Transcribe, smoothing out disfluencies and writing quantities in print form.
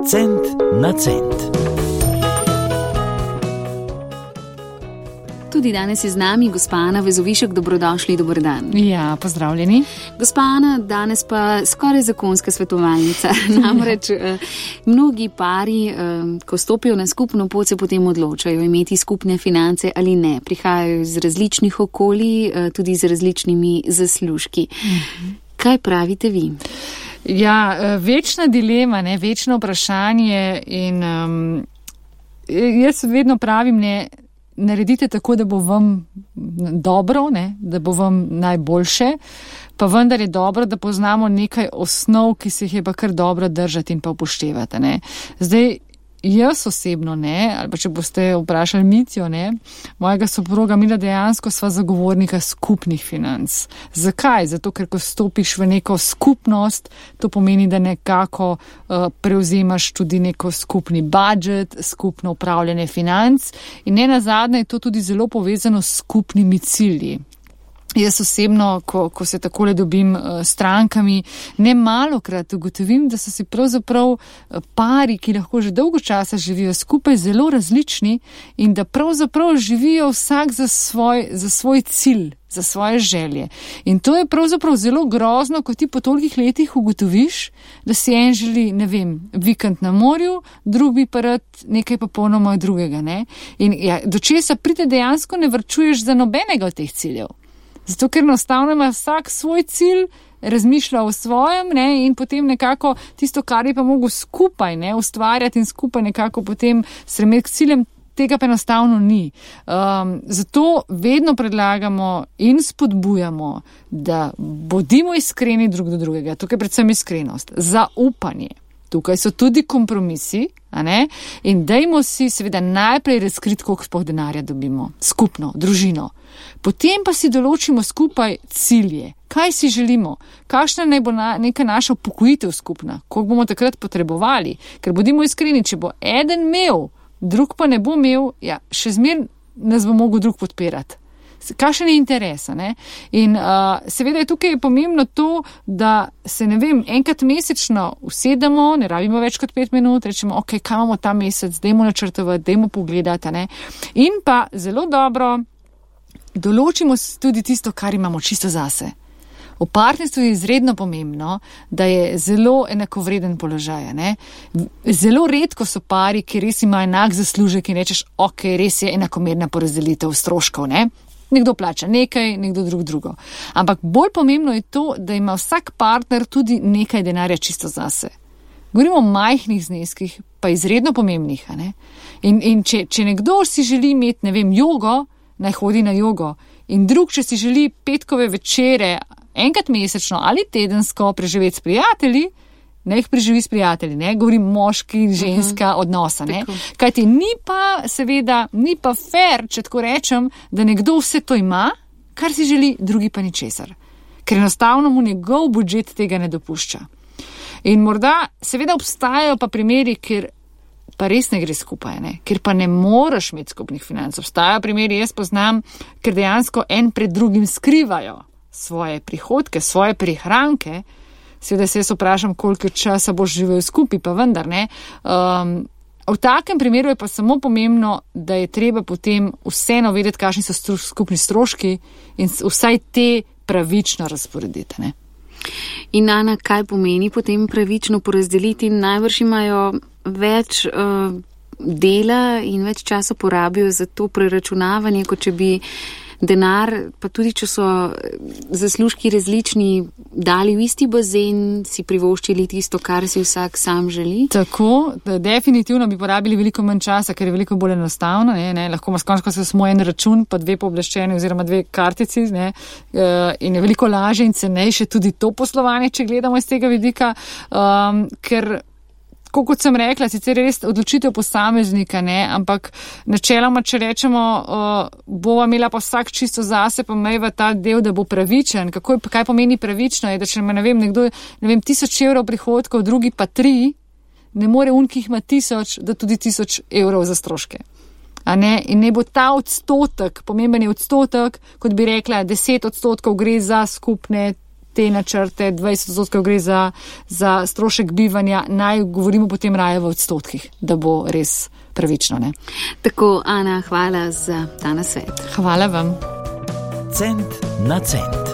Cent na cent. Tudi danes je z nami gospa Ana Vezovišek, dobrodošli, dober dan. Ja, pozdravljeni. Gospa Ana, danes pa skoraj zakonska svetovalnica. Namreč mnogi pari, ko stopijo na skupno pot, se potem odločajo imeti skupne finance ali ne. Prihajajo iz različnih okolij, tudi z različnimi zaslužki. Kaj pravite vi? Ja, večna dilema, ne, večno vprašanje in jaz vedno pravim, ne, naredite tako, da bo vam dobro, ne, da bo vam najboljše, pa vendar je dobro, da poznamo nekaj osnov, ki se jih je pa kar dobro držati in pa upoštevati. Ne. Zdaj, jaz osebno ne, ali pa če boste vprašali Mitjo, ne, mojega soproga Mila dejansko sva zagovornika skupnih financ. Zakaj? Zato, ker ko stopiš v neko skupnost, to pomeni, da nekako prevzemaš tudi neko skupni budžet, skupno upravljanje financ in nenazadnje je to tudi zelo povezano s skupnimi cilji. Jaz osebno, ko se takole dobim s strankami, ne malokrat ugotovim, da so si pravzaprav pari, ki lahko že dolgo časa živijo skupaj, zelo različni in da pravzaprav živijo vsak za svoj cilj, za svoje želje. In to je pravzaprav zelo grozno, ko ti po tolikih letih ugotoviš, da si en želi, ne vem, vikend na morju, drug bi pa rad nekaj popolnoma drugega, ne? In ja, do česa pride dejansko ne varčuješ za nobenega od teh ciljev. Zato, ker enostavno ima vsak svoj cilj, razmišlja o svojem, ne, in potem nekako tisto, kar je pa mogo skupaj, ne, ustvarjati in skupaj nekako potem stremeti k ciljem, tega pa enostavno ni. Zato vedno predlagamo in spodbujamo, da bodimo iskreni drug do drugega. Tukaj predvsem iskrenost, zaupanje. Tukaj so tudi kompromisi, a ne? In dajmo si seveda najprej razkriti, koliko sploh denarja dobimo, skupno, družino. Potem pa si določimo skupaj cilje. Kaj si želimo? Kakšna naj bo neka naša upokojitev skupna? Koliko bomo takrat potrebovali? Ker bodimo iskreni, če bo eden imel, drug pa ne bo imel, ja, še zmeraj nas bo mogel drug podpirati. Kakšen je interes, ne? In seveda je tukaj pomembno to, da se, ne vem, enkrat mesečno usedemo, ne rabimo več kot 5 minut, rečemo, ok, kaj imamo ta mesec, dajmo načrtovati, dajmo pogledati, ne? In pa zelo dobro določimo tudi tisto, kar imamo čisto zase. V partnerstvu je izredno pomembno, da je zelo enakovreden položaj, ne? Zelo redko so pari, ki res imajo enak zaslužek in rečeš, ok, res je enakomerna porazdelitev stroškov, ne? Nekdo plača nekaj, nekdo drugo. Ampak bolj pomembno je to, da ima vsak partner tudi nekaj denarja čisto zase. Govorimo o majhnih zneskih, pa izredno pomembnih, ne? In če nekdo si želi imeti, ne vem, jogo, naj hodi na jogo, in drug, če si želi petkove večere enkrat mesečno ali tedensko preživeti s prijatelji, ne jih preživi s prijatelji, ne, govorim moški in ženska odnosa, ne. Kajti ni pa fair, če tako rečem, da nekdo vse to ima, kar si želi, drugi pa ničesar. Ker enostavno mu njegov budžet tega ne dopušča. In morda seveda obstajajo pa primeri, kjer pa res ne gre skupaj, ne, ker pa ne moreš imeti skupnih financ. Obstajajo primeri, jaz poznam, ker dejansko en pred drugim skrivajo svoje prihodke, svoje prihranke. Seveda se jaz vprašam, koliko časa boš živel skupaj, pa vendar ne. V takem primeru je pa samo pomembno, da je treba potem vseeno vedeti, kakšni so skupni stroški in vsaj te pravično razporediti, ne. In Ana, kaj pomeni potem pravično porazdeliti? Najbrž imajo več dela in več časa porabijo za to preračunavanje, kot če bi denar, pa tudi če so zaslužki različni, dali v isti bazen, si privoščili tisto, kar si vsak sam želi? Tako, definitivno bi porabili veliko manj časa, ker je veliko bolj enostavno, ne, lahko ima skončno samo en račun, pa 2 pooblaščeni oziroma 2 kartici, ne, in je veliko lažje in cenejše tudi to poslovanje, če gledamo iz tega vidika, ker kot sem rekla, sicer je res odločitev posameznika, ne, ampak načeloma, če rečemo, bova imela pa vsak čisto zase, pa imeva ta del, da bo pravičen. Kaj pomeni pravično? Je, da če ima, nekdo 1000 evrov prihodkov, drugi pa 3, ne more ki jih ima 1000, da tudi 1000 evrov za stroške. A ne? In ne bo ta odstotek, pomemben je odstotek, kot bi rekla, 10% gre za skupne te načrte, 20% gre za strošek bivanja, naj govorimo potem raje v odstotkih, da bo res pravično, ne? Tako, Ana, hvala za ta nasvet. Hvala vam. Cent na cent.